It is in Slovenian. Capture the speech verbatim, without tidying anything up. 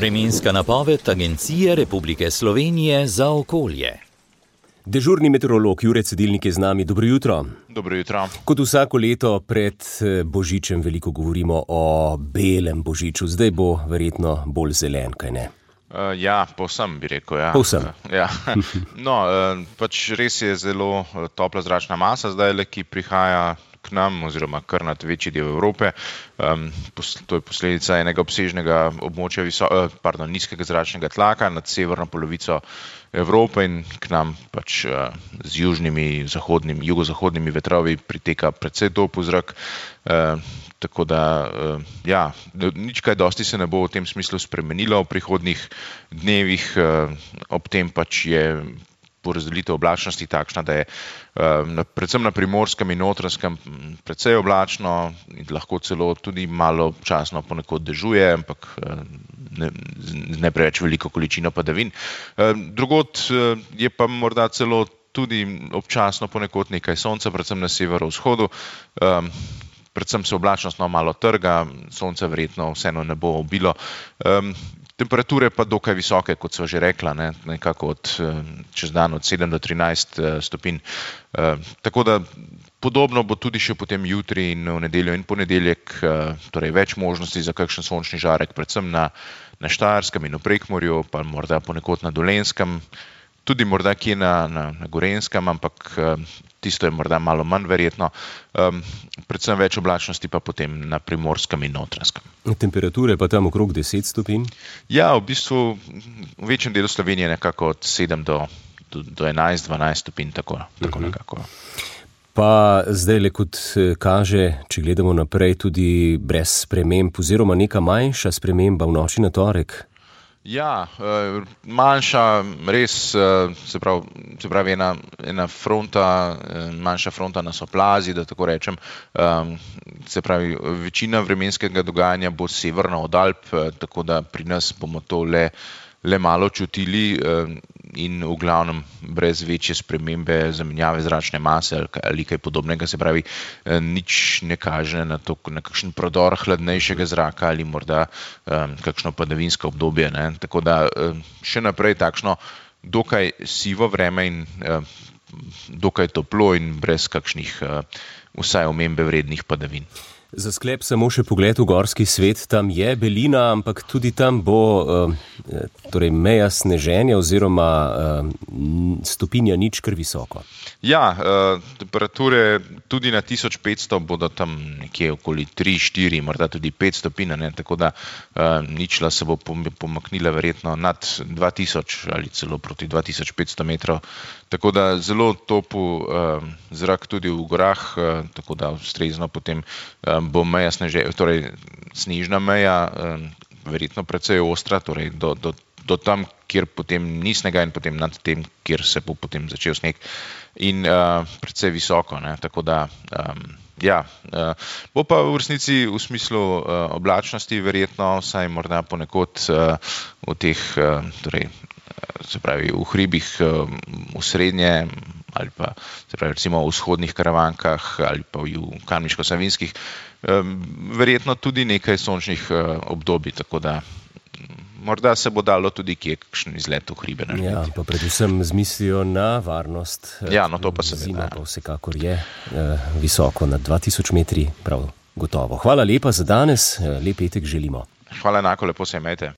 Vremenska napoved Agencije Republike Slovenije za okolje. Dežurni meteorolog Jure Cedilnik je z nami. Dobro jutro. Dobro jutro. Kot vsako leto pred Božičem veliko govorimo o belem Božiču. Zdaj bo verjetno bolj zelen, kaj ne? Uh, ja, povsem bi rekel. Ja. Povsem. Uh, ja. No, uh, pač res je zelo topla zračna masa zdaj, ki prihaja k nam oziroma kar nad večji del Evrope. Um, to je posledica enega obsežnega območja viso, uh, pardon, nizkega zračnega tlaka nad severno polovico Evrope in k nam pač uh, z južnimi, zahodnimi, jugozahodnimi vetrovi priteka precej topel zrak. Uh, tako da, uh, ja, nič kaj dosti se ne bo v tem smislu spremenilo v prihodnjih dnevih. Uh, ob tem pač je porazdelitev oblačnosti takšna, da je uh, predvsem na Primorskem in Notranjskem precej oblačno in lahko celo tudi malo občasno ponekod dežuje, ampak uh, ne, ne preveč veliko količino padavin. Uh, drugod uh, je pa morda celo tudi občasno ponekod nekaj sonca, predvsem na severovzhodu. Um, predvsem se oblačnost no malo trga, sonce verjetno vseeno ne bo obilo. Um, Temperature pa dokaj visoke, kot sva že rekla, ne, nekako od, čez dan od sedem do trinajst stopinj. E, tako da podobno bo tudi še potem jutri in v nedeljo in ponedeljek, e, torej več možnosti za kakšen sončni žarek, predvsem na, na Štajerskem in v Prekmurju, pa morda ponekod na Dolenjskem, tudi morda kje na, na, na Gorenjskem, ampak e, tisto je morda malo manj verjetno. Um, predvsem več oblačnosti pa potem na Primorskem in Notranjskem. Temperature pa tam okrog deset stopinj? Ja, v bistvu v večjem delu Slovenije nekako od sedem do, do, do enajst dvanajst stopinj, tako, tako uh-huh. nekako. Pa zdaj le kot kaže, če gledamo naprej, tudi brez sprememb oziroma neka manjša sprememba v noči na torek. Ja, manjša, res, se pravi, se pravi ena, ena fronta, manjša fronta nas oplazi, da tako rečem. Se pravi, večina vremenskega dogajanja bo severno od Alp, tako da pri nas bomo to le, le malo čutili in v glavnem brez večje spremembe zamenjave zračne mase ali kaj podobnega. Se pravi, nič ne kaže na to, na kakšen prodor hladnejšega zraka ali morda um, kakšno padavinsko obdobje. Ne? Tako da um, še naprej takšno dokaj sivo vreme in um, dokaj toplo in brez kakšnih uh, vsaj omembe vrednih padavin. Za sklep samo še pogled v gorski svet, tam je belina, ampak tudi tam bo uh, torej meja sneženja oziroma uh, stopinja nič kar visoko. Ja, uh, temperature tudi na tisoč petsto bodo tam nekje okoli tri, štiri, morda tudi pet stopinj, ne? Tako da uh, ničla se bo pomaknila verjetno nad dva tisoč ali celo proti dva tisoč petsto metrov. Tako da zelo topel uh, zrak tudi v gorah, uh, tako da ustrezno potem uh, bo meja sneže, torej snežna meja, um, verjetno precej ostra, torej do, do, do tam, kjer potem ni snega in potem nad tem, kjer se bo potem začel sneg in uh, precej visoko, ne? Tako da um, ja, uh, bo pa v resnici v smislu uh, oblačnosti verjetno, saj morda ponekod uh, v teh, uh, torej, se pravi v hribih uh, v srednje ali pa se pravi recimo v vzhodnih Karavankah ali pa v Kamniško-Savinjskih, um, verjetno tudi nekaj sončnih uh, obdobij, tako da morda se bo dalo tudi kje kakšen izlet v hribe narediti. Ja, pa predvsem z mislijo na varnost. Ja, no to pa se zima pa vsekakor je uh, visoko nad dva tisoč metri, prav gotovo. Hvala lepa za danes, lep petek želimo. Hvala enako, lepo se imejte.